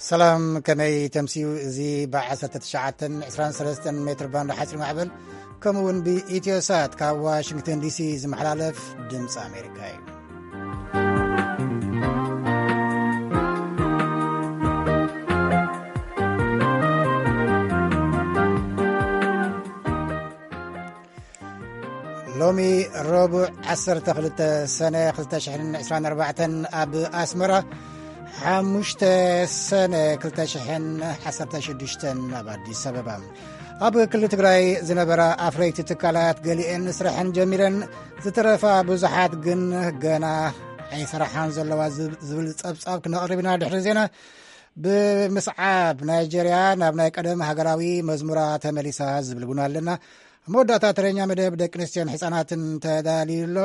ሰላም፣ ከመይ ተምስዩ? እዚ ብ19 23 ሜትር ባንድ ሓፂር ማዕበል፣ ከምኡ እውን ብኢትዮሳት ካብ ዋሽንግተን ዲሲ ዝመሓላለፍ ድምፂ ኣሜሪካ እዩ። ሎሚ ረቡዕ 12 ሰነ 2024፣ ኣብ ኣስመራ 5 ሰነ 2016፣ ኣብ ኣዲስ ኣበባ። ኣብ ክልል ትግራይ ዝነበራ ኣፍረይቲ ትካላት ገሊኤን ስራሐን ጀሚረን፣ ዝተረፋ ብዙሓት ግን ገና ኣይሰራሓን ዘለዋ ዝብ-፣ ዝብል ጸብጻብ ክነቕርብ ኢና። ድሕሪ ዜና፣ ብምስዓብ ናይጀርያ ናብ ናይ ቀደም ሃገራዊ መዝሙራ ተመሊሳ ዝብል እውን ኣለና። ኣብ መወዳእታ፣ ተረኛ መደብ ደቂ ኣንስትዮን ህጻናትን ተዳልዩ ኣሎ።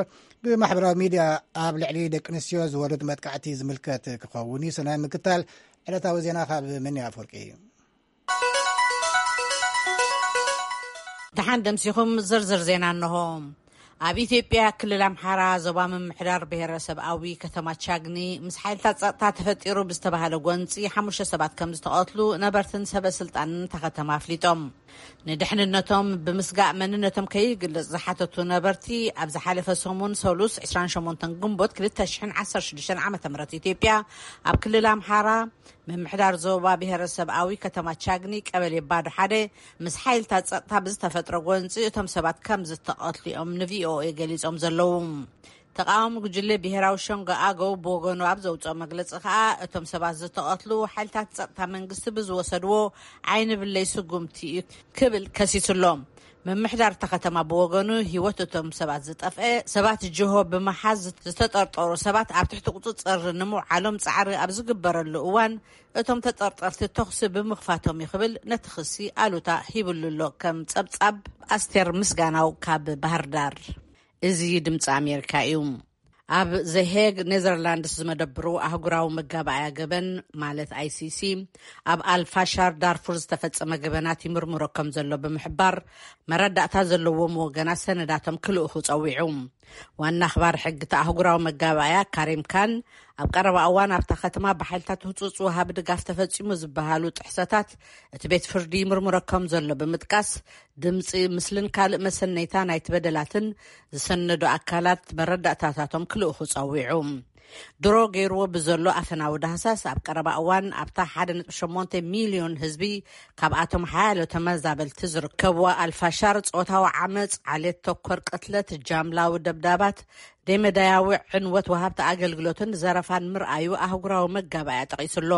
ብማሕበራዊ ሚድያ ኣብ ልዕሊ ደቂ ኣንስትዮ ዝወርድ መጥቃዕቲ ዝምልከት ክኸውን እዩ። ሰናይ ምክታል። ዕለታዊ ዜና ካብ መኒ ኣፈወርቂ እዩ። ደሓን ደምሲኹም። ዝርዝር ዜና እንሆ። ኣብ ኢትዮጵያ ክልል ኣምሓራ ዞባ ምምሕዳር ብሔረሰብ ኣዊ ከተማ ቻግኒ ምስ ሓይልታት ጸጥታ ተፈጢሩ ብዝተባሃለ ጎንጺ ሓሙሽተ ሰባት ከም ዝተቐትሉ ነበርትን ሰበ ስልጣንን እታ ከተማ ኣፍሊጦም። ንድሕንነቶም ብምስጋእ መንነቶም ከይግለጽ ዝሓተቱ ነበርቲ፣ ኣብ ዝሓለፈ ሰሙን ሰሉስ 28 ግንቦት 2016 ዓ.ም ኢትዮጵያ ኣብ ክልል ኣምሓራ ምምሕዳር ዞባ ብሔረሰብ ኣዊ ከተማ ቻግኒ ቀበሌ ባዶ ሓደ ምስ ሓይልታት ጸጥታ ብዝተፈጥረ ጎንጺ እቶም ሰባት ከም ዝተቐትሉ እዮም ንቪኦኤ ገሊጾም ዘለዉ። ተቃዋሚ ጉጅለ ብሄራዊ ሸንጎ ኣገው ብወገኑ ኣብ ዘውፅኦ መግለፂ ከዓ፣ እቶም ሰባት ዝተቐትሉ ሓይልታት ጸጥታ መንግስቲ ብዝወሰድዎ ዓይኒ ብለይ ስጉምቲ እዩ ክብል ከሲሱ ኣሎ። ምምሕዳር እታ ከተማ ብወገኑ፣ ህይወት እቶም ሰባት ዝጠፍአ ሰባት ጅሆ ብምሓዝ ዝተጠርጠሩ ሰባት ኣብ ትሕቲ ቁፅፅር ንምውዓሎም ፃዕሪ ኣብ ዝግበረሉ እዋን፣ እቶም ተጠርጠርቲ ተኹሲ ብምኽፋቶም እዩ ክብል ነቲ ክሲ ኣሉታ ሂብሉ ኣሎ። ከም ጸብጻብ ኣስቴር ምስጋናው ካብ ባህር ዳር። እዚ ድምፂ ኣሜሪካ እዩ። ኣብ ዘሄግ ኔዘርላንድስ ዝመደብሩ ኣህጉራዊ መጋባእያ ገበን ማለት ኣይሲሲ፣ ኣብ ኣልፋሻር ዳርፉር ዝተፈጸመ ገበናት ይምርምሮ ከም ዘሎ ብምሕባር፣ መረዳእታ ዘለዎም ወገናት ሰነዳቶም ክልእኹ ጸዊዑ። ዋና ኣኽባር ሕጊ እቲ ኣህጉራዊ መጋባእያ ካሪም ካን፣ ኣብ ቀረባ እዋን ኣብታ ከተማ ብሓይልታት ህጹጽ ወሃቢ ድጋፍ ተፈጺሙ ዝበሃሉ ጥሕሰታት እቲ ቤት ፍርዲ ይምርምሮ ከም ዘሎ ብምጥቃስ፣ ድምጺ፣ ምስልን ካልእ መሰነይታ ናይቲ በደላትን ዝሰነዱ ኣካላት መረዳእታታቶም ክልእኹ ጸዊዑ። ድሮ ገይርዎ ብዘሎ ኣፈናዊ ዳህሳስ፣ ኣብ ቀረባ እዋን ኣብታ 1.8 ሚልዮን ህዝቢ፣ ካብኣቶም ሓያሎ ተመዛበልቲ ዝርከብዋ ኣልፋሻር፣ ጾታዊ ዓመጽ፣ ዓሌት ተኮር ቅትለት፣ ጃምላዊ ደብዳባት፣ ደመዳያዊ ዕንወት ወሃብቲ ኣገልግሎትን ዘረፋን ምርኣዩ ኣህጉራዊ መጋባእያ ጠቒሱ ኣሎ።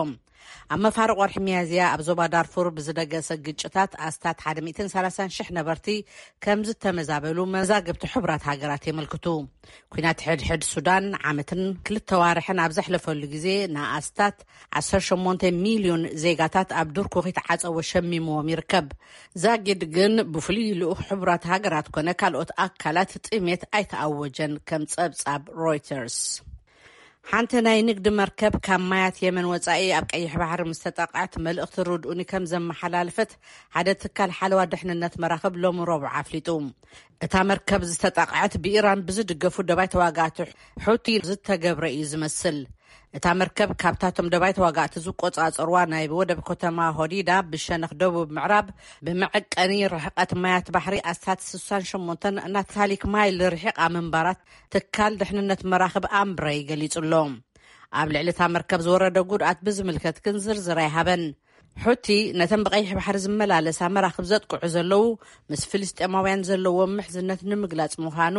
ኣብ መፋርቕ ወርሒ ሚያዝያ ኣብ ዞባ ዳርፉር ብዝደገሰ ግጭታት ኣስታት 130,000 ነበርቲ ከም ዝተመዛበሉ መዛግብቲ ሕቡራት ሃገራት የመልክቱ። ኲናት ሕድሕድ ሱዳን ዓመትን ክልተ ዋርሕን ኣብ ዘሕለፈሉ ግዜ፣ ንኣስታት 18 ሚልዮን ዜጋታት ኣብ ዱር ኩኺት ዓጸቦ ሸሚምዎም ይርከብ። ዛጊድ ግን ብፍሉይ ልኡኽ ሕቡራት ሃገራት ኮነ ካልኦት ኣካላት ጥሜት ኣይተኣወጀን፣ ከም ጸብጻብ ሮይተርስ። ሓንቲ ናይ ንግዲ መርከብ ካብ ማያት የመን ወጻኢ ኣብ ቀይሕ ባሕሪ ምስ ተጠቕዐት፣ መልእኽቲ ርድኡኒ ከም ዘመሓላለፈት ሓደ ትካል ሓለዋ ድሕንነት መራኽብ ሎሚ ረቡዕ ኣፍሊጡ። እታ መርከብ ዝተጠቕዐት ብኢራን ብዝድገፉ ደባይ ተዋጋእቲ ሑቲ ዝተገብረ እዩ ዝመስል። እታ መርከብ ካብታቶም ደባይ ተዋጋእቲ ዝቆጻጸርዋ ናይ ወደብ ከተማ ሆዲዳ ብሸነኽ ደቡብ ምዕራብ ብመዐቀኒ ርሕቀት ማያት ባሕሪ ኣስታት 68 ናታሊክ ማይል ርሒቓ ምንባራት ትካል ድሕንነት መራኽብ ኣምብረይ ገሊጹ ኣሎ። ኣብ ልዕሊ እታ መርከብ ዝወረደ ጉድኣት ብዝምልከት ግን ዝርዝር ኣይሃበን። ሑቲ ነተን ብቐይሕ ባሕሪ ዝመላለሳ መራኽብ ዘጥቅዑ ዘለዉ፣ ምስ ፍልስጤማውያን ዘለዎም ምሕዝነት ንምግላጽ ምዃኑ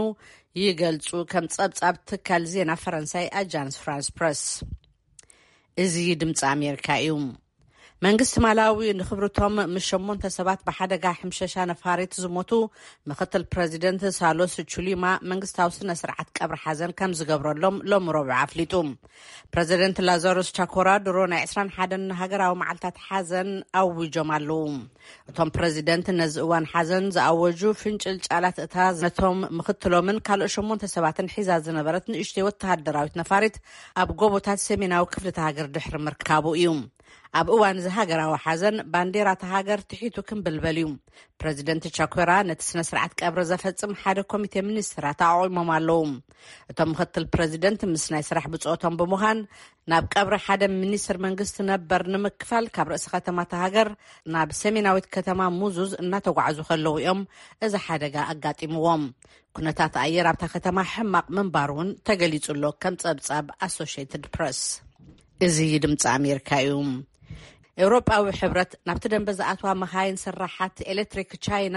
ይገልጹ፣ ከም ጸብጻብ ትካል ዜና ፈረንሳይ ኣጃንስ ፍራንስ ፕረስ። እዚ ድምጺ ኣሜሪካ እዩ። መንግስቲ ማላዊ ንኽብርቶም ምስ ሸሞንተ ሰባት ብሓደጋ ሕምሸሻ ነፋሪት ዝሞቱ ምኽትል ፕረዚደንት ሳሎስ ቹሊማ መንግስታዊ ስነ ስርዓት ቀብሪ ሓዘን ከም ዝገብረሎም ሎሚ ረቡዕ ኣፍሊጡ። ፕረዚደንት ላዛሩስ ቻኮራ ድሮ ናይ 21 ሃገራዊ መዓልታት ሓዘን ኣዊጆም ኣለዉ። እቶም ፕረዚደንት ነዚ እዋን ሓዘን ዝኣወጁ፣ ፍንጭልጫላት እታ ነቶም ምኽትሎምን ካልኦት ሸሞንተ ሰባትን ሒዛ ዝነበረት ንእሽተይ ወተሃደራዊት ነፋሪት ኣብ ጎቦታት ሰሜናዊ ክፍሊ እታ ሃገር ድሕሪ ምርካቡ እዩ። ኣብ እዋን እዚ ሃገራዊ ሓዘን፣ ባንዴራ እታ ሃገር ትሒቱ ክምብልበል እዩ። ፕረዚደንት ቻኮራ ነቲ ስነ ስርዓት ቀብሪ ዘፈጽም ሓደ ኮሚቴ ሚኒስትራት ኣቑሞም ኣለዉ። እቶም ምኽትል ፕረዚደንት ምስ ናይ ስራሕ ብጾቶም ብምዃን፣ ናብ ቀብሪ ሓደ ሚኒስትር መንግስቲ ነበር ንምክፋል ካብ ርእሲ ከተማ እታ ሃገር ናብ ሰሜናዊት ከተማ ሙዙዝ እናተጓዕዙ ከለዉ እዮም እዚ ሓደጋ ኣጋጢምዎም። ኩነታት ኣየር ኣብታ ከተማ ሕማቕ ምንባሩ እውን ተገሊጹ ኣሎ፣ ከም ጸብጻብ ኣሶሽየትድ ፕረስ። እዚ ድምፂ ኣሜሪካ እዩ። ኤውሮጳዊ ሕብረት ናብቲ ደንበ ዝኣትዋ መኻይን ስራሓት ኤሌክትሪክ ቻይና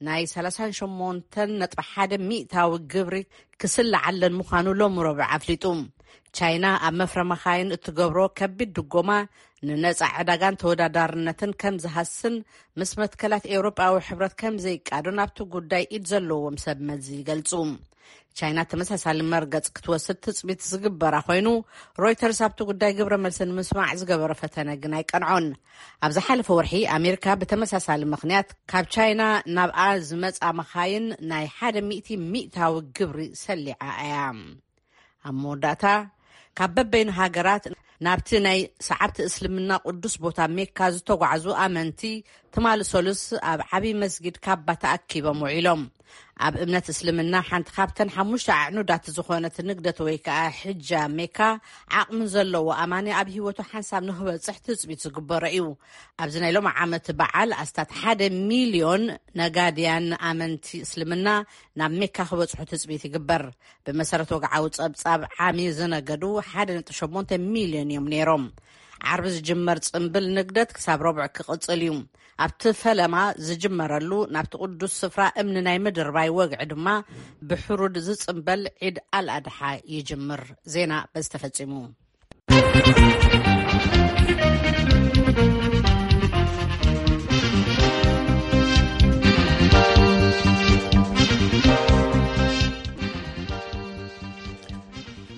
ናይ ሰላሳን ሸሞንተን ነጥቢ ሓደ ሚእታዊ ግብሪ ክስልዓለን ምዃኑ ሎሚ ረቡዕ ኣፍሊጡ። ቻይና ኣብ መፍረ መኻይን እትገብሮ ከቢድ ድጎማ ንነጻ ዕዳጋን ተወዳዳርነትን ከም ዝሃስን ምስ መትከላት ኤውሮጳዊ ሕብረት ከም ዘይቃዶ ናብቲ ጉዳይ ኢድ ዘለዎም ሰብ መዚ ይገልጹ። ቻይና ተመሳሳሊ መርገጽ ክትወስድ ትጽቢት ዝግበራ ኮይኑ፣ ሮይተርስ ኣብቲ ጉዳይ ግብረ መልሲ ንምስማዕ ዝገበረ ፈተነ ግን ኣይቀንዖን። ኣብ ዝሓለፈ ወርሒ ኣሜሪካ ብተመሳሳሊ ምኽንያት ካብ ቻይና ናብኣ ዝመጻ መኻይን ናይ ሓደ ሚእቲ ሚእታዊ ግብሪ ሰሊዓ እያ። ኣብ መወዳእታ፣ ካብ በበይኑ ሃገራት ናብቲ ናይ ሰዓብቲ እስልምና ቅዱስ ቦታ ሜካ ዝተጓዕዙ ኣመንቲ ትማሊ ሰሉስ ኣብ ዓብዪ መስጊድ ካባ ተኣኪቦም ውዒሎም። ኣብ እምነት እስልምና ሓንቲ ካብተን ሓሙሽተ ኣዕኑዳት ዝኾነት ንግደት ወይ ከዓ ሕጃ ሜካ ዓቕሚ ዘለዎ ኣማኒ ኣብ ህይወቱ ሓንሳብ ንክበፅሕ ትፅቢት ዝግበሮ እዩ። ኣብዚ ናይ ሎም ዓመት በዓል ኣስታት ሓደ ሚልዮን ነጋድያን ኣመንቲ እስልምና ናብ ሜካ ክበፅሑ ትፅቢት ይግበር። ብመሰረት ወግዓዊ ጸብጻብ ዓሚ ዝነገዱ ሓደ ነጥቢ ሸሞንተ ሚልዮን እዮም ነይሮም። ዓርቢ ዝጅመር ጽምብል ንግደት ክሳብ ረቡዕ ክቕጽል እዩ። ኣብቲ ፈለማ ዝጅመረሉ ናብቲ ቅዱስ ስፍራ እምኒ ናይ ምድርባይ ወግዒ ድማ ብሕሩድ ዝጽምበል ዒድ ኣልኣድሓ ይጅምር። ዜና በዚ ተፈጺሙ።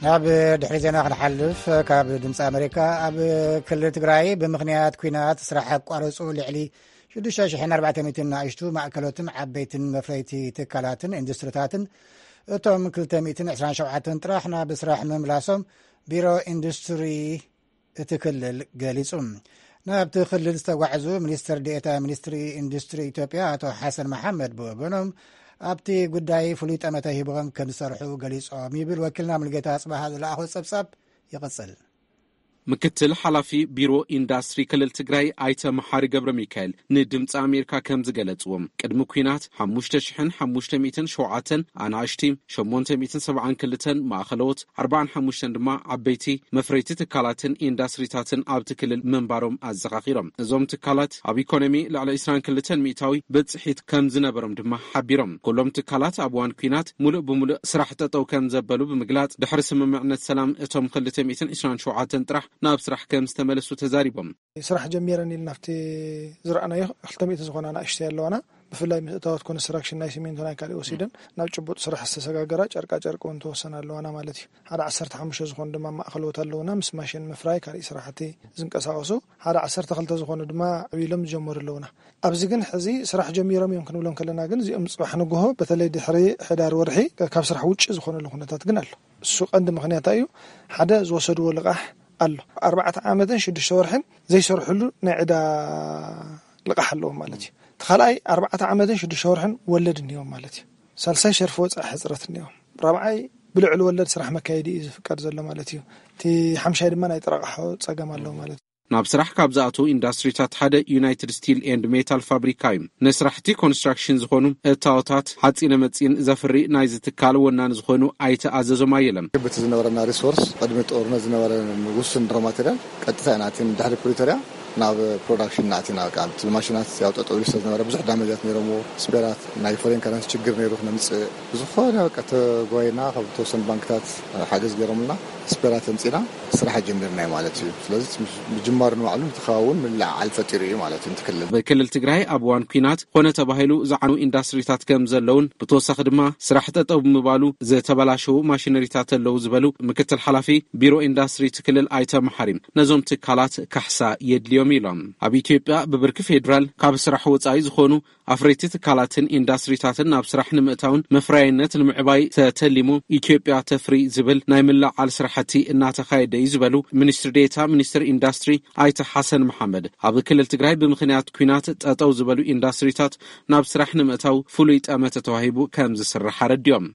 ናብ ድሕሪ ዜና ክንሓልፍ፣ ካብ ድምፂ ኣሜሪካ፣ ኣብ ክልል ትግራይ ብምኽንያት ኲናት ስራሕ ኣቋረፁ ልዕሊ ሽዱሽተ ሽሕን ኣርባዕተ ሚእትን ንኣሽቱ ማእከሎትን ዓበይትን መፍረይቲ ትካላትን ኢንዱስትሪታትን፣ እቶም ክልተ ሚእትን ዕስራን ሸውዓተን ጥራሕ ናብ ስራሕ ምምላሶም ቢሮ ኢንዱስትሪ እቲ ክልል ገሊጹ። ናብቲ ክልል ዝተጓዕዙ ሚኒስትር ዴኤታ ሚኒስትሪ ኢንዱስትሪ ኢትዮጵያ ኣቶ ሓሰን መሓመድ ብወገኖም፣ ኣብቲ ጉዳይ ፍሉይ ጠመተ ሂቦም ከም ዝሰርሑ ገሊጾም ይብል ወኪልና ሙልጌታ ኣጽባሃ ዝለኣኾ ጸብጻብ። ይቕጽል። ምክትል ሓላፊ ቢሮ ኢንዳስትሪ ክልል ትግራይ ኣይተ መሓሪ ገብረ ሚካኤል ንድምፂ ኣሜሪካ ከም ዝገለፅዎም፣ ቅድሚ ኲናት ሓሙሽተ ሽሕን ሓሙሽተ ሚእትን ሸውዓተን ኣናእሽቲ፣ ሸሞንተ ሚእትን ሰብዓን ክልተን ማእኸለዎት፣ ኣርባዓን ሓሙሽተን ድማ ዓበይቲ መፍረይቲ ትካላትን ኢንዳስትሪታትን ኣብቲ ክልል ምንባሮም ኣዘኻኺሮም። እዞም ትካላት ኣብ ኢኮኖሚ ልዕሊ ዕስራን ክልተን ሚእታዊ ብፅሒት ከም ዝነበሮም ድማ ሓቢሮም። ኩሎም ትካላት ኣብ እዋን ኲናት ሙሉእ ብሙሉእ ስራሕ ጠጠው ከም ዘበሉ ብምግላፅ፣ ድሕሪ ስምምዕነት ሰላም እቶም ክልተ ሚእትን ዕስራን ሸውዓተን ጥራሕ ናብ ስራሕ ከም ዝተመለሱ ተዛሪቦም። ስራሕ ጀሚረን ኢልና ኣብቲ ዝረኣናዮ ክልተ ሚእቲ ዝኾና ኣናእሽተይ ኣለዋና። ብፍላይ ምስ እታወት ኮንስትራክሽን ናይ ሲሚንቶ ናይ ካልእ ወሲደን ናብ ጭቡጥ ስራሕ ዝተሰጋገራ ጨርቃ ጨርቂ እውን ተወሰና ኣለዋና ማለት እዩ። ሓደ ዓሰርተ ሓሙሽተ ዝኾኑ ድማ ማእኸለዎት ኣለውና ምስ ማሽን ምፍራይ ካልእ ስራሕቲ ዝንቀሳቐሱ፣ ሓደ ዓሰርተ ክልተ ዝኾኑ ድማ ዕብይሎም ዝጀመሩ ኣለውና። ኣብዚ ግን ሕዚ ስራሕ ጀሚሮም እዮም ክንብሎም ከለና ግን እዚኦም ፅባሕ ንግሆ በተለይ ድሕሪ ሕዳር ወርሒ ካብ ስራሕ ውጭ ዝኾነሉ ኩነታት ግን ኣሎ። እሱ ቀንዲ ምኽንያት እዩ። ሓደ ዝወሰድዎ ልቓሕ ኣሎ። ኣርባዕተ ዓመትን ሽዱሽተ ወርሕን ዘይሰርሕሉ ናይ ዕዳ ልቓሕ ኣለዎም ማለት እዩ። እቲ ካልኣይ ኣርባዕተ ዓመትን ሽዱሽተ ወርሕን ወለድ እኒኦም ማለት እዩ። ሳልሳይ ሸርፊ ወፃኢ ሕፅረት እኒኦም። ራብዓይ ብልዕሊ ወለድ ስራሕ መካየዲ እዩ ዝፍቀድ ዘሎ ማለት እዩ። እቲ ሓምሻይ ድማ ናይ ጥረ ኣቕሓ ፀገም ኣለዎ ማለት እዩ። ናብ ስራሕ ካብ ዝኣተዉ ኢንዳስትሪታት ሓደ ዩናይትድ ስቲል ኤንድ ሜታል ፋብሪካ እዩ። ንስራሕቲ ኮንስትራክሽን ዝኾኑ እታወታት ሓፂነ መፂን ዘፍሪ ናይዚ ትካል ወናኒ ዝኾኑ ኣይተ ኣዘዞም ኣየለም። በቲ ዝነበረና ሪሶርስ፣ ቅድሚ ጦርነት ዝነበረ ውሱን ሮ ማቴሪያል ቀጥታ ኢና እቲ ድሕሪ ፕሪቶርያ ናብ ፕሮዳክሽን ናእቲና። በቃ እቲ ማሽናት ያው ጠጠው ኢሉ ስለ ዝነበረ ብዙሕ ዳመጃት ነይሮምዎ፣ ስፔራት ናይ ፎሬን ከረንሲ ችግር ነይሩ ክነምፅእ ብዝኾነ በቃ ተጓይና ካብ ተወሰኑ ባንክታት ሓገዝ ገይሮምልና ስፔራት ኣምፂና ስራሕ ጀሚርና ማለት እዩ። ስለዚ ምጅማሩ ንባዕሉ ንተኸባውን ምልዕዓል ፈጢሩ እዩ ማለት እዩ። እቲ ክልል ብክልል ትግራይ ኣብ እዋን ኲናት ኮነ ተባሂሉ ዝዓኑ ኢንዳስትሪታት ከም ዘለውን ብተወሳኺ ድማ ስራሕ ጠጠው ብምባሉ ዝተበላሸዉ ማሽነሪታት ኣለዉ ዝበሉ ምክትል ሓላፊ ቢሮ ኢንዳስትሪ እቲ ክልል ኣይተ መሓሪም ነዞም ትካላት ካሕሳ የድልዮም ኢሎም። ኣብ ኢትዮጵያ ብብርኪ ፌዴራል ካብ ስራሕ ወፃኢ ዝኾኑ ኣፍረይቲ ትካላትን ኢንዳስትሪታትን ናብ ስራሕ ንምእታውን መፍረያይነት ንምዕባይ ተተሊሙ ኢትዮጵያ ተፍሪ ዝብል ናይ ምልዕዓል ስራሕቲ እናተኻየደ እዩ ዝበሉ ሚኒስትር ዴኤታ ሚኒስትር ኢንዳስትሪ ኣይተ ሓሰን መሓመድ፣ ኣብ ክልል ትግራይ ብምኽንያት ኲናት ጠጠው ዝበሉ ኢንዳስትሪታት ናብ ስራሕ ንምእታው ፍሉይ ጠመተ ተዋሂቡ ከም ዝስራሕ ኣረዲኦም።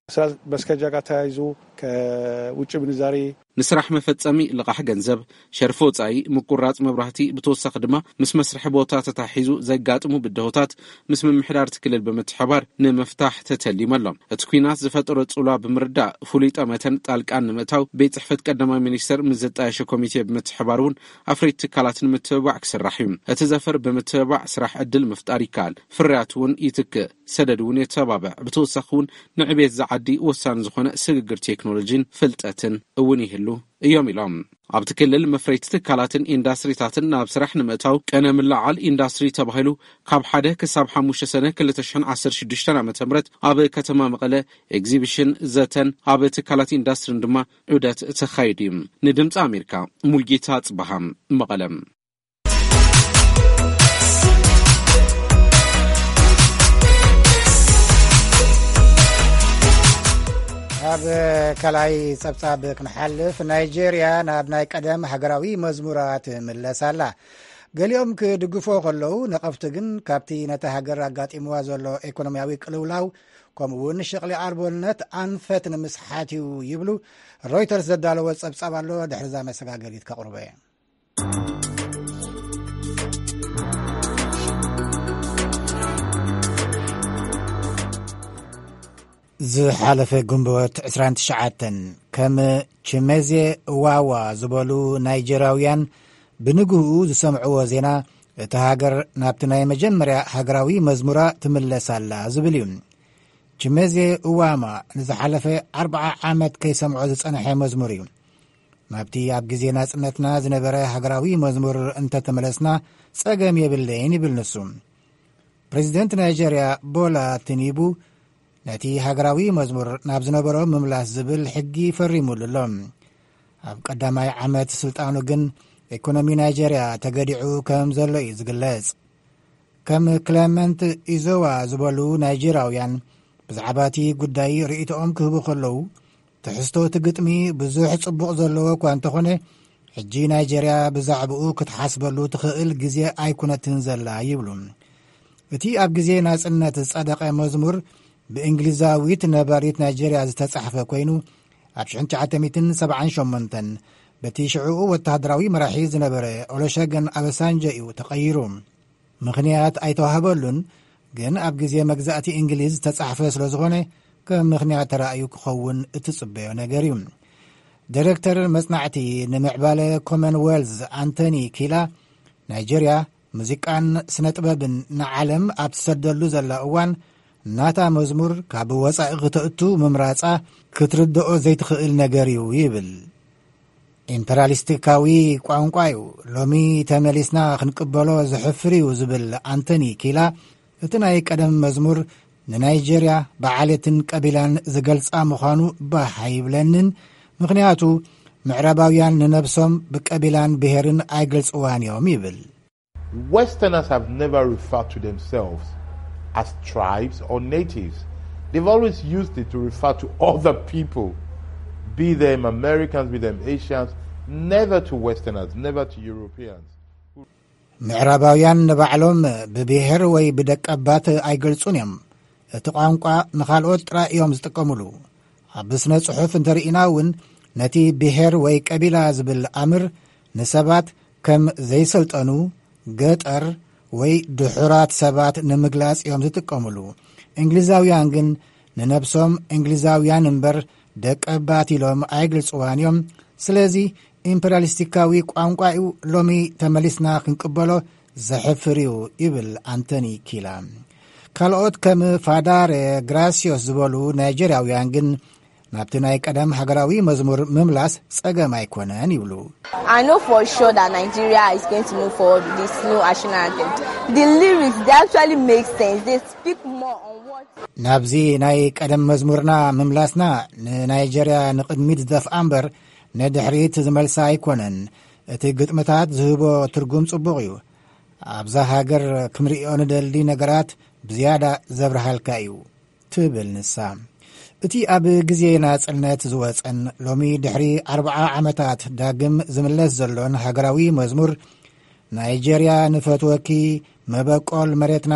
መስከጃ ጋር ተያይዞ ከውጭ ምንዛሬ ንስራሕ መፈጸሚ ልቓሕ ገንዘብ፣ ሸርፊ ወጻኢ፣ ምቁራጽ መብራህቲ፣ ብተወሳኺ ድማ ምስ መስርሒ ቦታ ተታሒዙ ዘጋጥሙ ብድሆታት ምስ ምምሕዳር እቲ ክልል ብምትሕባር ንምፍታሕ ተተሊሙ ኣሎ። እቲ ኲናት ዝፈጠሮ ጽልዋ ብምርዳእ ፍሉይ ጠመተን ጣልቃን ንምእታው ቤት ጽሕፈት ቀዳማይ ሚኒስተር ምስ ዘጣየሸ ኮሚቴ ብምትሕባር እውን ኣፍረይቲ ትካላት ንምትብባዕ ክስራሕ እዩ። እቲ ዘፈር ብምትብባዕ ስራሕ ዕድል ምፍጣር ይከኣል፣ ፍርያት እውን ይትክእ፣ ሰደድ እውን የተባብዕ። ብተወሳኺ እውን ንዕቤት ዝዓዲ ወሳኒ ዝኾነ ስግግር ቴክኖሎጂን ፍልጠትን እውን ይህሉ እዮም ኢሎም። ኣብቲ ክልል መፍረይቲ ትካላትን ኢንዳስትሪታትን ናብ ስራሕ ንምእታው ቀነ ምልዓል ኢንዳስትሪ ተባሂሉ ካብ ሓደ ክሳብ ሓሙሽተ ሰነ ክልተ ሽሕን ዓሰርተ ሽዱሽተን ዓመተ ምህረት ኣብ ከተማ መቐለ ኤግዚቢሽን ዘተን ኣብ ትካላት ኢንዳስትሪን ድማ ዑደት ተኻይዱ እዩ። ንድምፂ ኣሜሪካ ሙልጌታ ጽበሃም መቐለ። ኣብ ካልኣይ ጸብጻብ ክንሓልፍ፣ ናይጄርያ ናብ ናይ ቀደም ሃገራዊ መዝሙራ ትምለስ ኣላ። ገሊኦም ክድግፎ ከለዉ፣ ነቐፍቲ ግን ካብቲ ነታ ሃገር ኣጋጢምዋ ዘሎ ኢኮኖሚያዊ ቅልውላው፣ ከምኡ እውን ሸቕሊ ኣልቦነት ኣንፈት ንምስሓት እዩ ይብሉ። ሮይተርስ ዘዳለዎ ጸብጻብ ኣሎ፣ ድሕርዛ መሰጋገሪት ከቕርቦ እየ። ዝሓለፈ ግንቦት ዕስራን ትሽዓተን፣ ከም ችመዜ ዋዋ ዝበሉ ናይጀራውያን ብንግህኡ ዝሰምዕዎ ዜና፣ እታ ሃገር ናብቲ ናይ መጀመርያ ሃገራዊ መዝሙራ ትምለስ ኣላ ዝብል እዩ። ችመዜ እዋማ ንዝሓለፈ ኣርብዓ ዓመት ከይሰምዖ ዝጸንሐ መዝሙር እዩ። ናብቲ ኣብ ግዜ ናጽነትና ዝነበረ ሃገራዊ መዝሙር እንተተመለስና ጸገም የብለይን ይብል ንሱ። ፕሬዚደንት ናይጀርያ ቦላ ቲኒቡ ነቲ ሃገራዊ መዝሙር ናብ ዝነበሮ ምምላስ ዝብል ሕጊ ፈሪሙሉ ኣሎ። ኣብ ቀዳማይ ዓመት ስልጣኑ ግን ኢኮኖሚ ናይጀርያ ተገዲዑ ከም ዘሎ እዩ ዝግለጽ። ከም ክለመንት ኢዞዋ ዝበሉ ናይጀርያውያን ብዛዕባ እቲ ጉዳይ ርእይቶኦም ክህቡ ከለዉ፣ ትሕዝቶ እቲ ግጥሚ ብዙሕ ጽቡቕ ዘለዎ እኳ እንተኾነ፣ ሕጂ ናይጀርያ ብዛዕባኡ ክትሓስበሉ ትኽእል ግዜ ኣይኮነትን ዘላ ይብሉ። እቲ ኣብ ግዜ ናጽነት ዝጸደቐ መዝሙር ብእንግሊዛዊት ነባሪት ናይጀርያ ዝተጻሕፈ ኮይኑ፣ ኣብ ሽሕን ትሽዓተ ሚእትን ሰብዓን ሸሞንተን በቲ ሽዑኡ ወተሃደራዊ መራሒ ዝነበረ ኦሎሸገን ኣበሳንጆ እዩ ተቐይሩ። ምኽንያት ኣይተዋህበሉን፣ ግን ኣብ ግዜ መግዛእቲ እንግሊዝ ዝተጻሕፈ ስለ ዝኾነ ከም ምኽንያት ተራእዩ ክኸውን እትጽበዮ ነገር እዩ። ዲሬክተር መጽናዕቲ ንምዕባለ ኮመንዌልዝ ኣንቶኒ ኪላ፣ ናይጀርያ ሙዚቃን ስነ ጥበብን ንዓለም ኣብ ትሰደሉ ዘላ እዋን፣ ናታ መዝሙር ካብ ወጻኢ ክተእቱ ምምራጻ ክትርድኦ ዘይትኽእል ነገር እዩ ይብል። ኢምፐርያሊስቲካዊ ቋንቋ እዩ። ሎሚ ተመሊስና ክንቅበሎ ዘሕፍር እዩ ዝብል ኣንቶኒ ኪላ፣ እቲ ናይ ቀደም መዝሙር ንናይጀርያ ብዓሌትን ቀቢላን ዝገልጻ ምዃኑ ባህ ኣይብለንን፣ ምኽንያቱ ምዕራባውያን ንነብሶም ብቀቢላን ብሄርን ኣይገልጽዋን እዮም ይብል። Westerners have never referred to themselves as tribes or natives. They've always used it to refer to other people, be them Americans, be them Asians, never to Westerners, never to Europeans. ምዕራባውያን ንባዕሎም ብብሄር ወይ ብደቀባት ኣይገልጹን እዮም። እቲ ቋንቋ ንኻልኦት ጥራይ እዮም ዝጥቀሙሉ። ኣብ ስነ ጽሑፍ እንተርኢና እውን ነቲ ብሄር ወይ ቀቢላ ዝብል ኣምር ንሰባት ከም ዘይሰልጠኑ፣ ገጠር ወይ ድሑራት ሰባት ንምግላጽ እዮም ዝጥቀሙሉ። እንግሊዛውያን ግን ንነብሶም እንግሊዛውያን እምበር ደቀባት ኢሎም ኣይገልጽዋን እዮም። ስለዚ ኢምፐርያሊስቲካዊ ቋንቋ እዩ። ሎሚ ተመሊስና ክንቅበሎ ዘሕፍር እዩ ይብል ኣንቶኒ ኪላ። ካልኦት ከም ፋዳረ ግራሲዮስ ዝበሉ ናይጀርያውያን ግን ናብቲ ናይ ቀደም ሃገራዊ መዝሙር ምምላስ ጸገም ኣይኮነን ይብሉ። I know for sure that Nigeria is going to move forward with this new national anthem. The lyrics, they actually make sense. They speak more on what ናብዚ ናይ ቀደም መዝሙርና ምምላስና ንናይጀርያ ንቕድሚት ዝደፍኣ እምበር ንድሕሪት ዝመልሳ ኣይኮነን። እቲ ግጥምታት ዝህቦ ትርጉም ጽቡቕ እዩ። ኣብዛ ሃገር ክንርእዮ ንደሊ ነገራት ብዝያዳ ዘብርሃልካ እዩ፣ ትብል ንሳ። እቲ ኣብ ግዜ ናጽነት ዝወጸን ሎሚ ድሕሪ ኣርብዓ ዓመታት ዳግም ዝምለስ ዘሎን ሃገራዊ መዝሙር፣ ናይጀርያ ንፈትወኪ፣ መበቆል መሬትና፣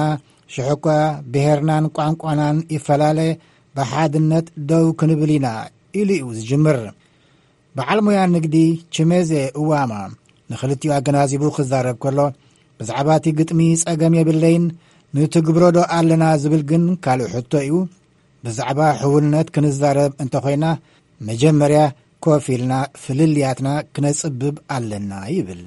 ሽሕኳ ብሄርናን ቋንቋናን ይፈላለ፣ ብሓድነት ደው ክንብል ኢና፣ ኢሉ እዩ ዝጅምር። በዓል ሞያ ንግዲ ቺሜዜ እዋማ ንኽልቲኡ ኣገናዚቡ ክዛረብ ከሎ፣ ብዛዕባ እቲ ግጥሚ ጸገም የብለይን፣ ንትግብሮ ዶ ኣለና ዝብል ግን ካልእ ሕቶ እዩ። ብዛዕባ ሕውነት ክንዛረብ እንተኾይና፣ መጀመርያ ኮፍ ኢልና ፍልልያትና ክነጽብብ ኣለና ይብል።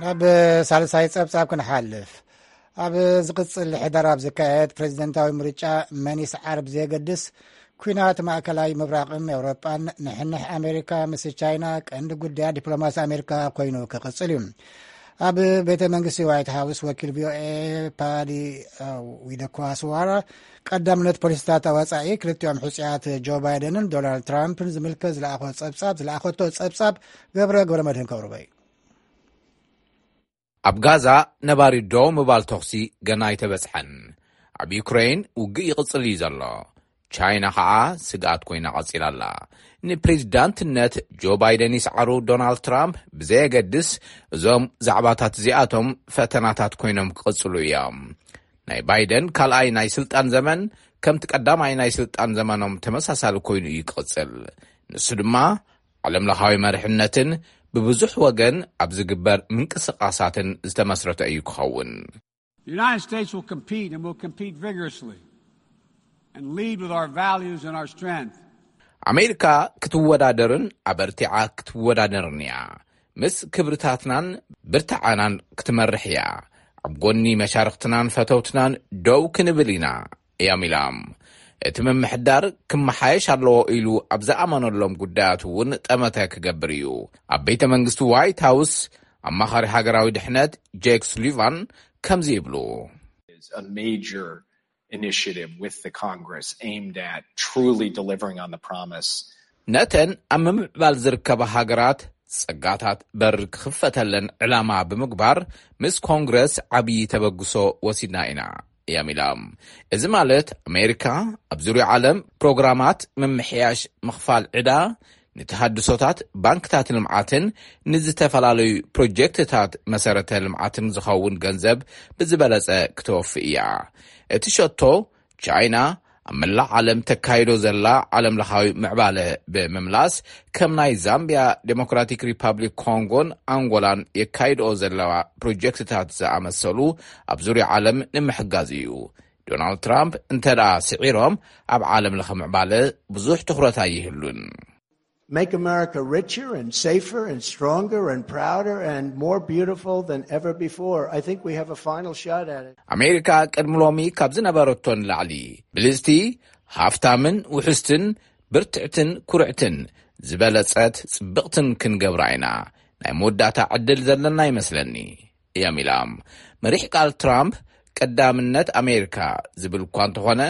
ናብ ሳልሳይ ጸብጻብ ክንሓልፍ። ኣብ ዝቕጽል ሕዳር ኣብ ዝካየድ ፕሬዚደንታዊ ምርጫ መን ይስዓር ብዘየገድስ፣ ኲናት ማእከላይ ምብራቕን ኤውሮጳን ንሕንሕ ኣሜሪካ ምስ ቻይና ቀንዲ ጉዳያት ዲፕሎማሲ ኣሜሪካ ኮይኑ ክቕጽል እዩ። ኣብ ቤተ መንግስቲ ዋይት ሃውስ ወኪል ቪኦኤ ፓዲ ዊደኳስዋራ ቀዳምነት ፖሊሲታት ኣዋጻኢ ክልቲኦም ሕጹያት ጆ ባይደንን ዶናልድ ትራምፕን ዝምልከት ዝለኣኾ ጸብጻብ ዝለኣኸቶ ጸብጻብ ገብረ ገብረ መድህን ከቕርቦ እዩ። ኣብ ጋዛ ነባሪ ደው ምባል ተኹሲ ገና ኣይተበጽሐን። ኣብ ዩክሬን ውግእ ይቕጽል እዩ ዘሎ። ቻይና ኸዓ ስግኣት ኮይና ቀጺላ ኣላ። ንፕሬዚዳንትነት ጆ ባይደን ይስዓሩ ዶናልድ ትራምፕ ብዘየገድስ፣ እዞም ዛዕባታት እዚኣቶም ፈተናታት ኮይኖም ክቕጽሉ እዮም። ናይ ባይደን ካልኣይ ናይ ስልጣን ዘመን ከምቲ ቀዳማይ ናይ ስልጣን ዘመኖም ተመሳሳሊ ኮይኑ እዩ ክቕጽል። ንሱ ድማ ዓለምለኻዊ መሪሕነትን ብብዙሕ ወገን ኣብ ዝግበር ምንቅስቓሳትን ዝተመስረተ እዩ ክኸውን። The United States will compete and will compete vigorously and lead with our values and our strength. ኣሜሪካ ክትወዳደርን ኣበርቲዓ ክትወዳደርን እያ። ምስ ክብርታትናን ብርትዓናን ክትመርሕ እያ። ኣብ ጎኒ መሻርኽትናን ፈተውትናን ደው ክንብል ኢና እዮም ኢሎም። እቲ ምምሕዳር ክመሓየሽ ኣለዎ ኢሉ ኣብ ዝኣመነሎም ጉዳያት እውን ጠመተ ክገብር እዩ። ኣብ ቤተ መንግስቲ ዋይት ሃውስ ኣማኻሪ ሃገራዊ ድሕነት ጄክ ሱሊቫን ከምዚ ይብሉ። A major initiative with the Congress aimed at truly delivering on the promise. ነተን ኣብ ምምዕባል ዝርከባ ሃገራት ጸጋታት በር ክኽፈተለን ዕላማ ብምግባር ምስ ኮንግረስ ዓብዪ ተበግሶ ወሲድና ኢና እዮም ኢሎም። እዚ ማለት ኣሜሪካ ኣብ ዙርያ ዓለም ፕሮግራማት ምምሕያሽ ምኽፋል ዕዳ ንተሃድሶታት ባንክታት ልምዓትን ንዝተፈላለዩ ፕሮጀክትታት መሰረተ ልምዓትን ዝኸውን ገንዘብ ብዝበለጸ ክተወፍእ እያ። እቲ ሸቶ ቻይና ኣብ መላእ ዓለም ተካይዶ ዘላ ዓለምለኻዊ ምዕባለ ብምምላስ ከም ናይ ዛምቢያ ዴሞክራቲክ ሪፓብሊክ ኮንጎን ኣንጎላን የካይድኦ ዘለዋ ፕሮጀክትታት ዝኣመሰሉ ኣብ ዙርያ ዓለም ንምሕጋዝ እዩ። ዶናልድ ትራምፕ እንተ ደኣ ስዒሮም ኣብ ዓለም ለኸ ምዕባለ ብዙሕ ትኹረት ኣይህሉን። Make America richer and safer and stronger and prouder and more beautiful than ever before. I think we have a final shot at it. ኣሜሪካ ቅድሚ ሎሚ ካብ ዝነበረቶ ንላዕሊ ብልጽቲ፣ ሃፍታምን ውሕስትን፣ ብርትዕትን ኩርዕትን፣ ዝበለጸት ጽብቕትን ክንገብራ ኢና። ናይ መወዳእታ ዕድል ዘለና ይመስለኒ እዮም ኢሎም። መሪሕ ቃል ትራምፕ ቀዳምነት ኣሜሪካ ዝብል እኳ እንተኾነ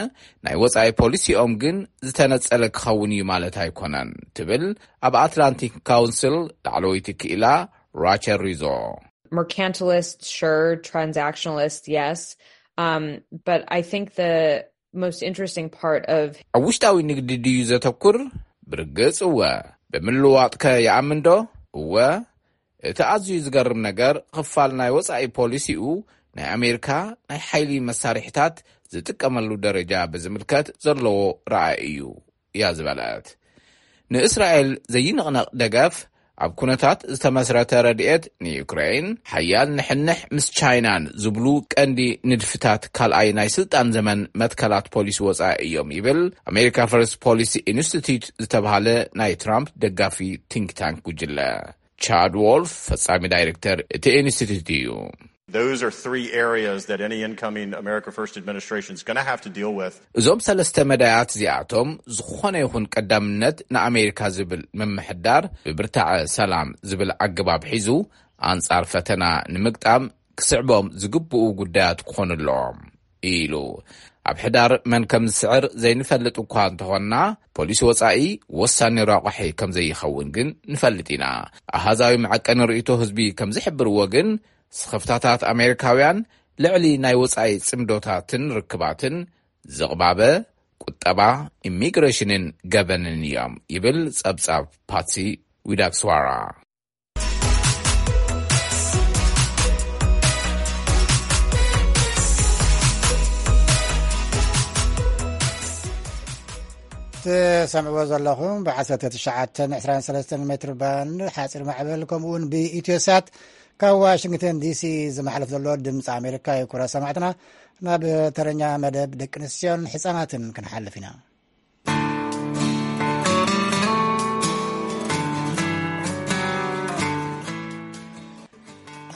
ናይ ወጻኢ ፖሊሲኦም ግን ዝተነጸለ ክኸውን እዩ ማለት ኣይኮነን ትብል ኣብ ኣትላንቲክ ካውንስል ላዕለወይቲ ክኢላ ራቸል ሪዞ። Mercantilist, sure. Transactionalist, yes. Um, but I think the most interesting part of ኣብ ውሽጣዊ ንግዲ ድዩ ዘተኩር? ብርግጽ እወ። ብምልዋጥከ ይኣምን ዶ? እወ። እቲ ኣዝዩ ዝገርም ነገር ክፋል ናይ ወጻኢ ፖሊሲኡ ናይ ኣሜሪካ ናይ ሓይሊ መሳርሒታት ዝጥቀመሉ ደረጃ ብዝምልከት ዘለዎ ረኣይ እዩ እያ ዝበለት። ንእስራኤል ዘይንቕነቕ ደገፍ ኣብ ኩነታት ዝተመስረተ ረድኤት ንዩክሬን ሓያል ንሕንሕ ምስ ቻይናን ዝብሉ ቀንዲ ንድፍታት ካልኣይ ናይ ስልጣን ዘመን መትከላት ፖሊሲ ወጻኢ እዮም ይብል ኣሜሪካ ፈርስት ፖሊሲ ኢንስቲትዩት ዝተባሃለ ናይ ትራምፕ ደጋፊ ቲንክ ታንክ ጉጅለ። ቻድ ዎልፍ ፈጻሚ ዳይሬክተር እቲ ኢንስቲትዩት እዩ። Those are three areas that any incoming America First administration is going to have to deal with. እዞም ሰለስተ መዳያት እዚኣቶም ዝኾነ ይኹን ቀዳምነት ንኣሜሪካ ዝብል ምምሕዳር ብብርታዐ ሰላም ዝብል ኣገባብ ሒዙ ኣንጻር ፈተና ንምግጣም ክስዕቦም ዝግብኡ ጉዳያት ክኾኑ ኣለዎም ኢሉ። ኣብ ሕዳር መን ከም ዝስዕር ዘይንፈልጥ እኳ እንተኾንና፣ ፖሊሲ ወጻኢ ወሳኒ ረቋሒ ከም ዘይኸውን ግን ንፈልጥ ኢና። ኣሃዛዊ መዐቀኒ ርእይቶ ህዝቢ ከም ዝሕብርዎ ግን፣ ስኽፍታታት ኣሜሪካውያን ልዕሊ ናይ ወጻኢ ጽምዶታትን ርክባትን፣ ዝቕባበ፣ ቁጠባ፣ ኢሚግሬሽንን ገበንን እዮም ይብል ጸብጻብ ፓትሲ ዊዳክስዋራ። ትሰምዕዎ ዘለኹም ብ19፣ 23 ሜትር ባንድ ሓፂር ማዕበል፣ ከምኡ እውን ብኢትዮሳት ካብ ዋሽንግተን ዲሲ ዝመሓለፍ ዘሎ ድምፂ ኣሜሪካ እዩ። ክቡራት ሰማዕትና፣ ናብ ተረኛ መደብ ደቂ ኣንስትዮን ሕፃናትን ክንሓልፍ ኢና።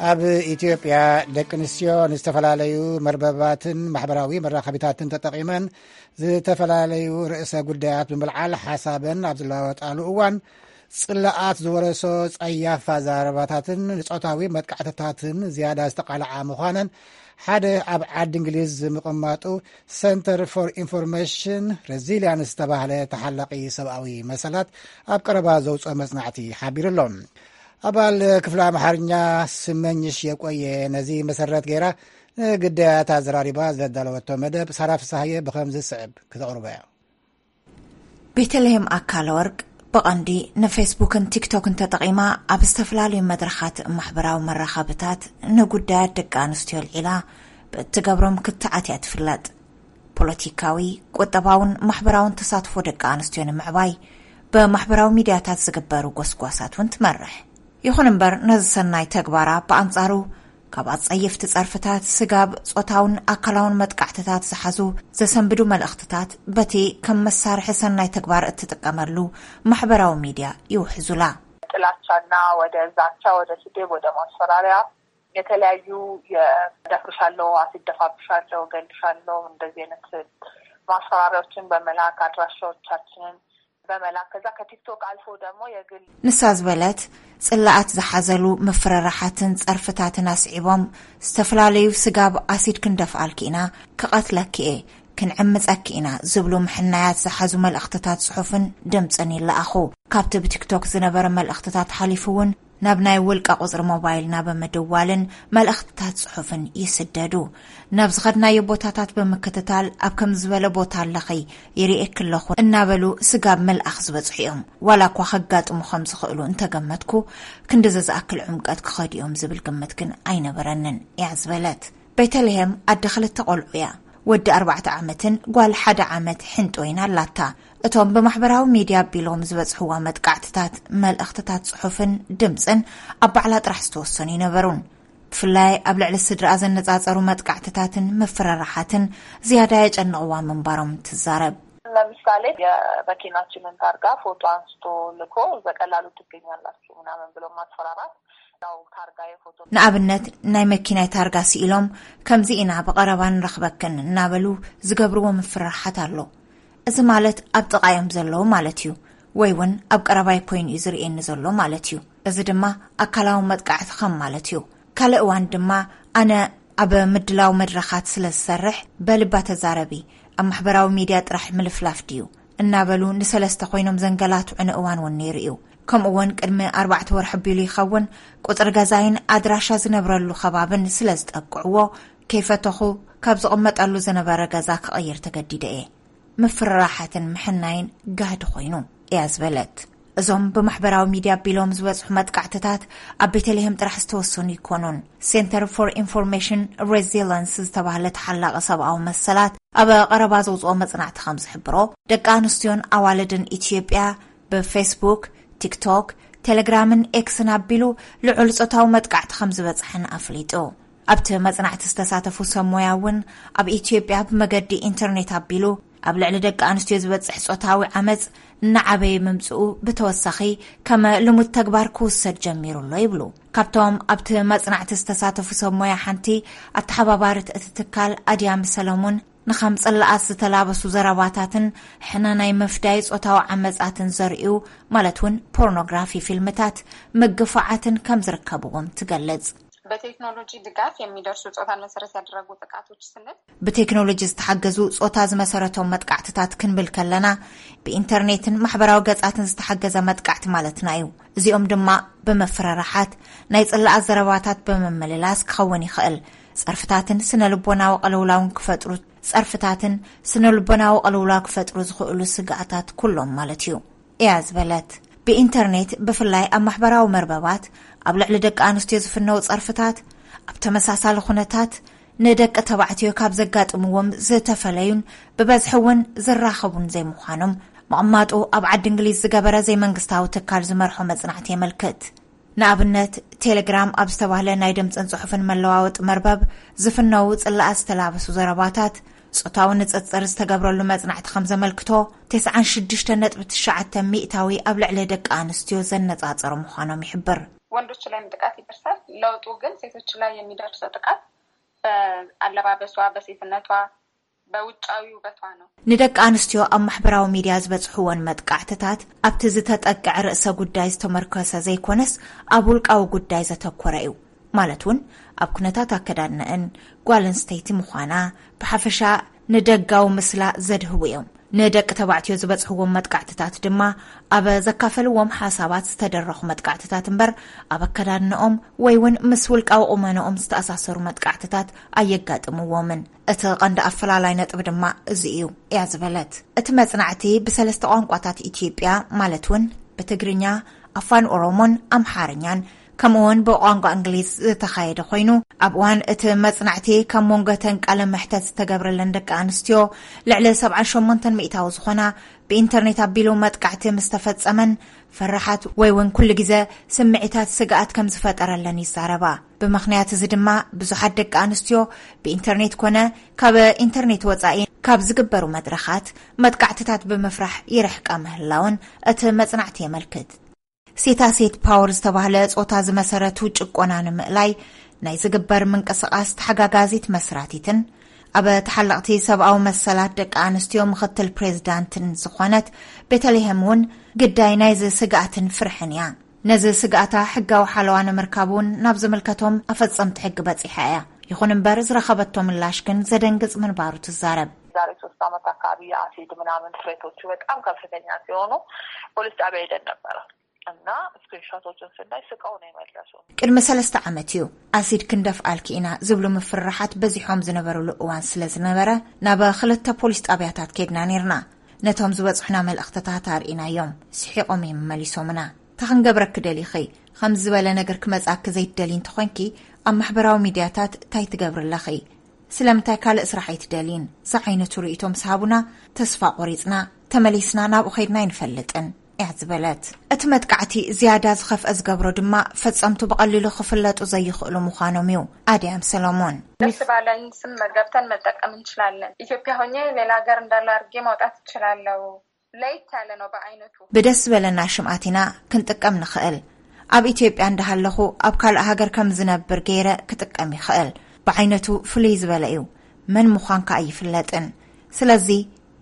ኣብ ኢትዮጵያ፣ ደቂ ኣንስትዮ ንዝተፈላለዩ መርበባትን ማሕበራዊ መራኸቢታትን ተጠቒመን ዝተፈላለዩ ርእሰ ጉዳያት ብምልዓል ሓሳበን ኣብ ዝለዋወጣሉ እዋን፣ ጽላኣት ዝወረሶ ጸያፍ ኣዛረባታትን ንጾታዊ መጥቃዕትታትን ዝያዳ ዝተቓልዓ ምዃነን ሓደ ኣብ ዓዲ እንግሊዝ ምቕማጡ ሰንተር ፎር ኢንፎርሜሽን ሬዚሊያንስ ዝተባህለ ተሓላቒ ሰብኣዊ መሰላት ኣብ ቀረባ ዘውፅኦ መጽናዕቲ ሓቢሩ ኣሎ። ኣባል ክፍሊ ኣምሓርኛ ስመኝሽ የቆየ ነዚ መሰረት ገይራ ንግዳያት ኣዘራሪባ ዘዳለወቶ መደብ ሳራ ፍሳሃየ ብኸም ዝስዕብ ክተቕርቦ እያ። ቤተልሔም ኣካለ ወርቅ ብቐንዲ ንፌስቡክን ቲክቶክን ተጠቒማ ኣብ ዝተፈላለዩ መድረኻት ማሕበራዊ መራኸብታት ንጉዳያት ደቂ ኣንስትዮ ኣልዒላ ብእትገብሮም ክትዓት እያ ትፍለጥ። ፖለቲካዊ፣ ቁጠባውን ማሕበራውን ተሳትፎ ደቂ ኣንስትዮ ንምዕባይ ብማሕበራዊ ሚድያታት ዝግበሩ ጎስጓሳት እውን ትመርሕ። ይኹን እምበር ነዚ ሰናይ ተግባራ ብኣንጻሩ ካብ ኣጸየፍቲ ጸርፍታት፣ ስጋብ ጾታውን ኣካላውን መጥቃዕትታት ዝሓዙ ዘሰንብዱ መልእኽትታት በቲ ከም መሳርሒ ሰናይ ተግባር እትጥቀመሉ ማሕበራዊ ሚድያ ይውሕዙላ። ጥላቻና ወደ ዛቻ፣ ወደ ስድብ፣ ወደ ማስፈራሪያ፣ የተለያዩ የደፍርሻለሁ፣ አስደፋብሻለሁ፣ እገልሻለሁ፣ እንደዚህ አይነት ማስፈራሪያዎችን በመላክ፣ አድራሻዎቻችንን በመላክ፣ ከዛ ከቲክቶክ አልፎ ደግሞ የግል ንሳ ዝበለት፣ ጽላኣት ዝሓዘሉ ምፍርራሓትን ጸርፍታትን ኣስዒቦም፣ ዝተፈላለዩ ስጋብ ኣሲድ ክንደፍኣልኪ ኢና፣ ክቐትለኪ እየ፣ ክንዕምጸኪ ኢና ዝብሉ ምሕናያት ዝሓዙ መልእኽትታት ጽሑፍን ድምጽን ይለኣኹ። ካብቲ ብቲክቶክ ዝነበረ መልእኽትታት ሓሊፉ እውን ናብ ናይ ውልቀ ቁጽሪ ሞባይልና ብምድዋልን መልእኽትታት ጽሑፍን ይስደዱ። ናብ ዝኸድናዮ ቦታታት ብምክትታል፣ ኣብ ከም ዝበለ ቦታ ኣለኺ፣ ይርእየኪ ኣለኹ እናበሉ ስጋብ ምልኣኽ ዝበጽሑ እዮም። ዋላ እኳ ከጋጥሙ ከም ዝኽእሉ እንተገመትኩ፣ ክንድዚ ዝኣክል ዕምቀት ክኸዱ እዮም ዝብል ግምት ግን ኣይነበረንን እያ ዝበለት። ቤተልሔም ኣደ ክልተ ቆልዑ እያ። ወዲ ኣርባዕተ ዓመትን ጓል ሓደ ዓመት ሕንጦይን ኣላታ። እቶም ብማሕበራዊ ሚድያ ኣቢሎም ዝበጽሕዋ መጥቃዕትታት፣ መልእኽትታት ጽሑፍን ድምጽን ኣብ ባዕላ ጥራሕ ዝተወሰኑ ይነበሩን። ብፍላይ ኣብ ልዕሊ ስድራኣ ዘነጻጸሩ መጥቃዕትታትን ምፍርራሓትን ዝያዳ የጨንቕዋ ምንባሮም ትዛረብ። ለምሳሌ የመኪናችንን ታርጋ ፎቶ አንስቶ ልኮ በቀላሉ ትገኛላችሁ ምናምን ብሎ ማስፈራራት። ያው ታርጋ የፎቶ ንኣብነት ናይ መኪናይ ታርጋ ስኢሎም፣ ከምዚ ኢና ብቐረባ ንረኽበክን እናበሉ ዝገብርዎ ምፍርራሓት ኣሎ። እዚ ማለት ኣብ ጥቓ እዮም ዘለዉ ማለት እዩ፣ ወይ እውን ኣብ ቀረባይ ኮይኑ እዩ ዝርእየኒ ዘሎ ማለት እዩ። እዚ ድማ ኣካላዊ መጥቃዕቲ ከም ማለት እዩ። ካልእ እዋን ድማ ኣነ ኣብ ምድላው መድረኻት ስለ ዝሰርሕ፣ በልባ ተዛረቢ፣ ኣብ ማሕበራዊ ሚድያ ጥራሕ ምልፍላፍ ድዩ እናበሉ ንሰለስተ ኮይኖም ዘንገላትዑኒ እዋን እውን ነይሩ እዩ። ከምኡ እውን ቅድሚ ኣርባዕተ ወርሒ ኣቢሉ ይኸውን፣ ቁጽሪ ገዛይን ኣድራሻ ዝነብረሉ ከባብን ስለ ዝጠቅዕዎ፣ ከይፈተኹ ካብ ዝቕመጠሉ ዝነበረ ገዛ ክቕይር ተገዲደ እየ። ምፍርራሓትን ምሕናይን ጋህዲ ኮይኑ እያ ዝበለት። እዞም ብማሕበራዊ ሚድያ ኣቢሎም ዝበጽሑ መጥቃዕትታት ኣብ ቤተልሔም ጥራሕ ዝተወሰኑ ኣይኮኑን። ሴንተር ፎር ኢንፎርሜሽን ሬዚለንስ ዝተባህለ ተሓላቒ ሰብኣዊ መሰላት ኣብ ቀረባ ዘውጽኦ መጽናዕቲ ከም ዝሕብሮ፣ ደቂ ኣንስትዮን ኣዋልድን ኢትዮጵያ ብፌስቡክ፣ ቲክቶክ፣ ቴሌግራምን ኤክስን ኣቢሉ ልዑል ጾታዊ መጥቃዕቲ ከም ዝበጽሐን ኣፍሊጡ። ኣብቲ መጽናዕቲ ዝተሳተፉ ሰብ ሞያ እውን፣ ኣብ ኢትዮጵያ ብመገዲ ኢንተርኔት ኣቢሉ ኣብ ልዕሊ ደቂ ኣንስትዮ ዝበጽሕ ጾታዊ ዓመጽ እናዓበየ ምምጽኡ ብተወሳኺ ከም ልሙድ ተግባር ክውሰድ ጀሚሩ ኣሎ ይብሉ። ካብቶም ኣብቲ መጽናዕቲ ዝተሳተፉ ሰብ ሞያ ሓንቲ፣ ኣተሓባባሪት እቲ ትካል ኣድያም ሰለሙን፣ ንኸም ጽላኣት ዝተላበሱ ዘረባታትን ሕነ ናይ ምፍዳይ ጾታዊ ዓመጻትን ዘርእዩ፣ ማለት እውን ፖርኖግራፊ ፊልምታት፣ ምግፋዓትን ከም ዝርከብዎም ትገልጽ። በቴክኖሎጂ ድጋፍ የሚደርሱ ጾታን መሰረት ያደረጉ ጥቃቶች ስንል ብቴክኖሎጂ ዝተሓገዙ ጾታ ዝመሰረቶም መጥቃዕትታት ክንብል ከለና፣ ብኢንተርኔትን ማሕበራዊ ገጻትን ዝተሓገዘ መጥቃዕቲ ማለትና እዩ። እዚኦም ድማ ብምፍርራሓት፣ ናይ ጽላኣት ዘረባታት ብምምልላስ ክኸውን ይኽእል። ጸርፍታትን ስነ ልቦናዊ ቅልውላውን ክፈጥሩ ጸርፍታትን ስነ ልቦናዊ ቅልውላው ክፈጥሩ ዝኽእሉ ስግኣታት ኩሎም ማለት እዩ እያ ዝበለት። ብኢንተርኔት፣ ብፍላይ ኣብ ማሕበራዊ መርበባት፣ ኣብ ልዕሊ ደቂ ኣንስትዮ ዝፍነው ጸርፍታት ኣብ ተመሳሳሊ ኩነታት ንደቂ ተባዕትዮ ካብ ዘጋጥምዎም ዝተፈለዩን ብበዝሒ እውን ዝራኸቡን ዘይምዃኖም፣ ምቕማጡ ኣብ ዓዲ እንግሊዝ ዝገበረ ዘይመንግስታዊ ትካል ዝመርሖ መጽናዕቲ የመልክት። ንኣብነት፣ ቴሌግራም ኣብ ዝተባህለ ናይ ድምጽን ጽሑፍን መለዋወጢ መርበብ ዝፍነዉ ጽላኣት ዝተላበሱ ዘረባታት፣ ጾታዊ ንጽጽር ዝተገብረሉ መጽናዕቲ ከም ዘመልክቶ፣ ተስዓን ሽዱሽተ ነጥቢ ትሽዓተ ሚእታዊ ኣብ ልዕሊ ደቂ ኣንስትዮ ዘነጻጸሩ ምዃኖም ይሕብር። ወንዶች ላይም ጥቃት ይደርሳል። ለውጡ ግን ሴቶች ላይ የሚደርሰው ጥቃት በአለባበሷ፣ በሴትነቷ፣ በውጫዊ ውበቷ ነው። ንደቂ ኣንስትዮ ኣብ ማሕበራዊ ሚድያ ዝበጽሕወን መጥቃዕትታት ኣብቲ ዝተጠቅዐ ርእሰ ጉዳይ ዝተመርኮሰ ዘይኮነስ፣ ኣብ ውልቃዊ ጉዳይ ዘተኮረ እዩ። ማለት እውን ኣብ ኩነታት ኣከዳድነእን ጓል ኣንስተይቲ ምዃና፣ ብሓፈሻ ንደጋዊ ምስላ ዘድህቡ እዮም። ንደቂ ተባዕትዮ ዝበጽሕዎም መጥቃዕትታት ድማ ኣብ ዘካፈልዎም ሓሳባት ዝተደረኹ መጥቃዕትታት እምበር፣ ኣብ ኣከዳድነኦም ወይ እውን ምስ ውልቃዊ ቁመነኦም ዝተኣሳሰሩ መጥቃዕትታት ኣየጋጥምዎምን። እቲ ቀንዲ ኣፈላላይ ነጥቢ ድማ እዚ እዩ እያ ዝበለት። እቲ መጽናዕቲ ብሰለስተ ቋንቋታት ኢትዮጵያ፣ ማለት እውን ብትግርኛ፣ ኣፋን ኦሮሞን ኣምሓርኛን፣ ከምኡውን ብቋንቋ እንግሊዝ ዝተኻየደ ኮይኑ፣ ኣብ እዋን እቲ መጽናዕቲ ካብ መንጎ እተን ቃለ መሕተት ዝተገብረለን ደቂ ኣንስትዮ፣ ልዕሊ ሰብዓን ሸሞንተን ሚእታዊ ዝኾና ብኢንተርኔት ኣቢሉ መጥቃዕቲ ምስ ተፈጸመን፣ ፈራሓት ወይ እውን ኩሉ ግዜ ስምዒታት ስግኣት ከም ዝፈጠረለን ይዛረባ። ብምኽንያት እዚ ድማ ብዙሓት ደቂ ኣንስትዮ ብኢንተርኔት ኮነ ካብ ኢንተርኔት ወጻኢ ካብ ዝግበሩ መድረኻት መጥቃዕትታት ብምፍራሕ ይርሕቃ ምህላውን እቲ መጽናዕቲ የመልክት። ሴታ ሴት ፓወር ዝተባህለ ጾታ ዝመሰረቱ ጭቆና ንምእላይ ናይ ዝግበር ምንቅስቓስ ተሓጋጋዚት መስራቲትን ኣብ ተሓለቕቲ ሰብኣዊ መሰላት ደቂ ኣንስትዮ ምኽትል ፕሬዝዳንትን ዝኾነት ቤተልሄም እውን ግዳይ ናይዚ ስግኣትን ፍርሕን እያ። ነዚ ስግኣታ ሕጋዊ ሓለዋ ንምርካብ እውን ናብ ዝምልከቶም ኣፈጸምቲ ሕጊ በጺሓ እያ። ይኹን እምበር ዝረኸበቶ ምላሽ ግን ዘደንግጽ ምንባሩ ትዛረብ። ዛሬ ሶስት ዓመት አካባቢ የአሲድ ምናምን ትሬቶቹ በጣም ከፍተኛ ሲሆኑ ፖሊስ ጣቢያ ሄደን ነበረ እና ስክሪንሾቶችን ስናይ ስቀው ነው የመለሱ። ቅድሚ ሰለስተ ዓመት እዩ ኣሲድ ክንደፍኣልኪ ኢና ዝብሉ ምፍርራሓት በዚሖም ዝነበሩሉ እዋን ስለ ዝነበረ፣ ናብ ክልተ ፖሊስ ጣብያታት ከድና ነርና። ነቶም ዝበጽሑና መልእኽትታት ኣርኢናዮም። ስሒቖም እዮም መሊሶምና። "እንታይ ክንገብረኪ ደሊኺ? ከምዚ ዝበለ ነገር ክመጻኪ ዘይትደልዪ እንተኾንኪ፣ ኣብ ማሕበራዊ ሚድያታት እንታይ ትገብሪ ኣለኺ? ስለምንታይ ካልእ ስራሕ ኣይትደልይን?" ዝዓይነቱ ርእይቶ ምስ ሃቡና፣ ተስፋ ቆሪጽና፣ ተመሊስና ናብኡ ከይድና ኣይንፈልጥን እያ ዝበለት። እቲ መጥቃዕቲ ዝያዳ ዝኸፍአ ዝገብሮ ድማ፣ ፈጸምቱ ብቐሊሉ ክፍለጡ ዘይኽእሉ ምዃኖም እዩ። ኣድያም ሰሎሞን። ደስ ባለን ስም ገብተን መጠቀም እንችላለን። ኢትዮጵያ ሆኜ ሌላ ሀገር እንዳለ አድርጌ ማውጣት እችላለሁ። ለየት ያለ ነው በአይነቱ። ብደስ ዝበለና ሽም ኣቲና ክንጥቀም ንኽእል። ኣብ ኢትዮጵያ እንዳሃለኹ ኣብ ካልእ ሃገር ከም ዝነብር ገይረ ክጥቀም ይኽእል። ብዓይነቱ ፍልይ ዝበለ እዩ። መን ምዃንካ ኣይፍለጥን። ስለዚ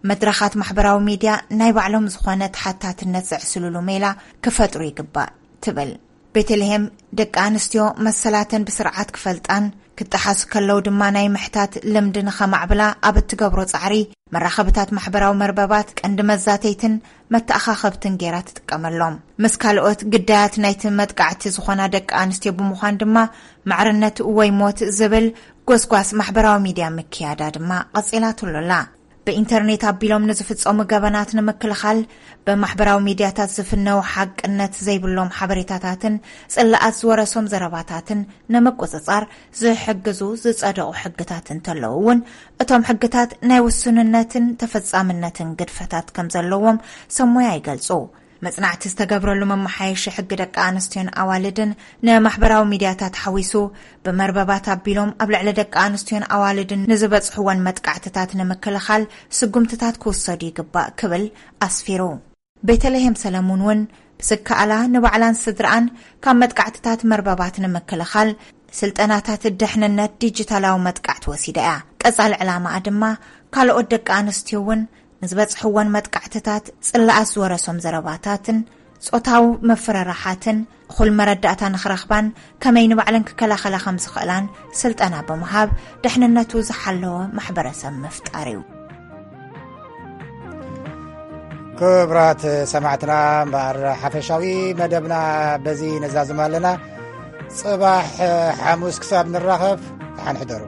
መድረኻት ማሕበራዊ ሚድያ ናይ ባዕሎም ዝኾነ ተሓታትነት ዘዕስሉሉ ሜላ ክፈጥሩ ይግባእ ትብል። ቤተልሔም፣ ደቂ ኣንስትዮ መሰላተን ብስርዓት ክፈልጣን ክጠሓሱ ከለዉ ድማ ናይ ምሕታት ልምዲ ንኸማዕብላ ኣብ እትገብሮ ጻዕሪ፣ መራኸብታት ማሕበራዊ መርበባት ቀንዲ መዛተይትን መተኣኻኸብትን ገይራ ትጥቀመሎም። ምስ ካልኦት ግዳያት ናይቲ መጥቃዕቲ ዝኾና ደቂ ኣንስትዮ ብምዃን ድማ፣ ማዕርነት ወይ ሞት ዝብል ጎስጓስ ማሕበራዊ ሚድያ ምክያዳ ድማ ቀጺላትሉ ኣላ። ብኢንተርኔት ኣቢሎም ንዝፍጸሙ ገበናት ንምክልኻል፣ ብማሕበራዊ ሚድያታት ዝፍነው ሓቅነት ዘይብሎም ሓበሬታታትን ጽላኣት ዝወረሶም ዘረባታትን ንምቁጽጻር ዝሕግዙ ዝጸደቑ ሕግታት እንተለዉ እውን፣ እቶም ሕግታት ናይ ውሱንነትን ተፈጻምነትን ግድፈታት ከም ዘለዎም ሰብ ሞያ ይገልጹ። መጽናዕቲ ዝተገብረሉ መመሓየሺ ሕጊ ደቂ ኣንስትዮን ኣዋልድን ንማሕበራዊ ሚድያታት ሓዊሱ፣ ብመርበባት ኣቢሎም ኣብ ልዕሊ ደቂ ኣንስትዮን ኣዋልድን ንዝበጽሕወን መጥቃዕትታት ንምክልኻል ስጉምትታት ክውሰዱ ይግባእ ክብል ኣስፊሩ። ቤተልሔም ሰለሙን እውን ብስከኣላ ንባዕላን ስድራኣን ካብ መጥቃዕትታት መርበባት ንምክልኻል ስልጠናታት ደሕንነት ዲጂታላዊ መጥቃዕቲ ወሲዳ እያ። ቀጻሊ ዕላማኣ ድማ ካልኦት ደቂ ኣንስትዮ እውን ንዝበጽሕወን መጥቃዕትታት፣ ጽላኣት ዝወረሶም ዘረባታትን ጾታዊ መፍረራሓትን እኹል መረዳእታ ንኽረኽባን ከመይ ንባዕለን ክከላኸላ ከም ዝኽእላን ስልጠና ብምሃብ፣ ድሕንነቱ ዝሓለወ ማሕበረሰብ ምፍጣር እዩ። ክቡራት ሰማዕትና፣ እምበኣር ሓፈሻዊ መደብና በዚ ነዛዝም ኣለና። ጽባሕ ሓሙስ ክሳብ ንራኸብ፣ ደሓን ሕደሩ።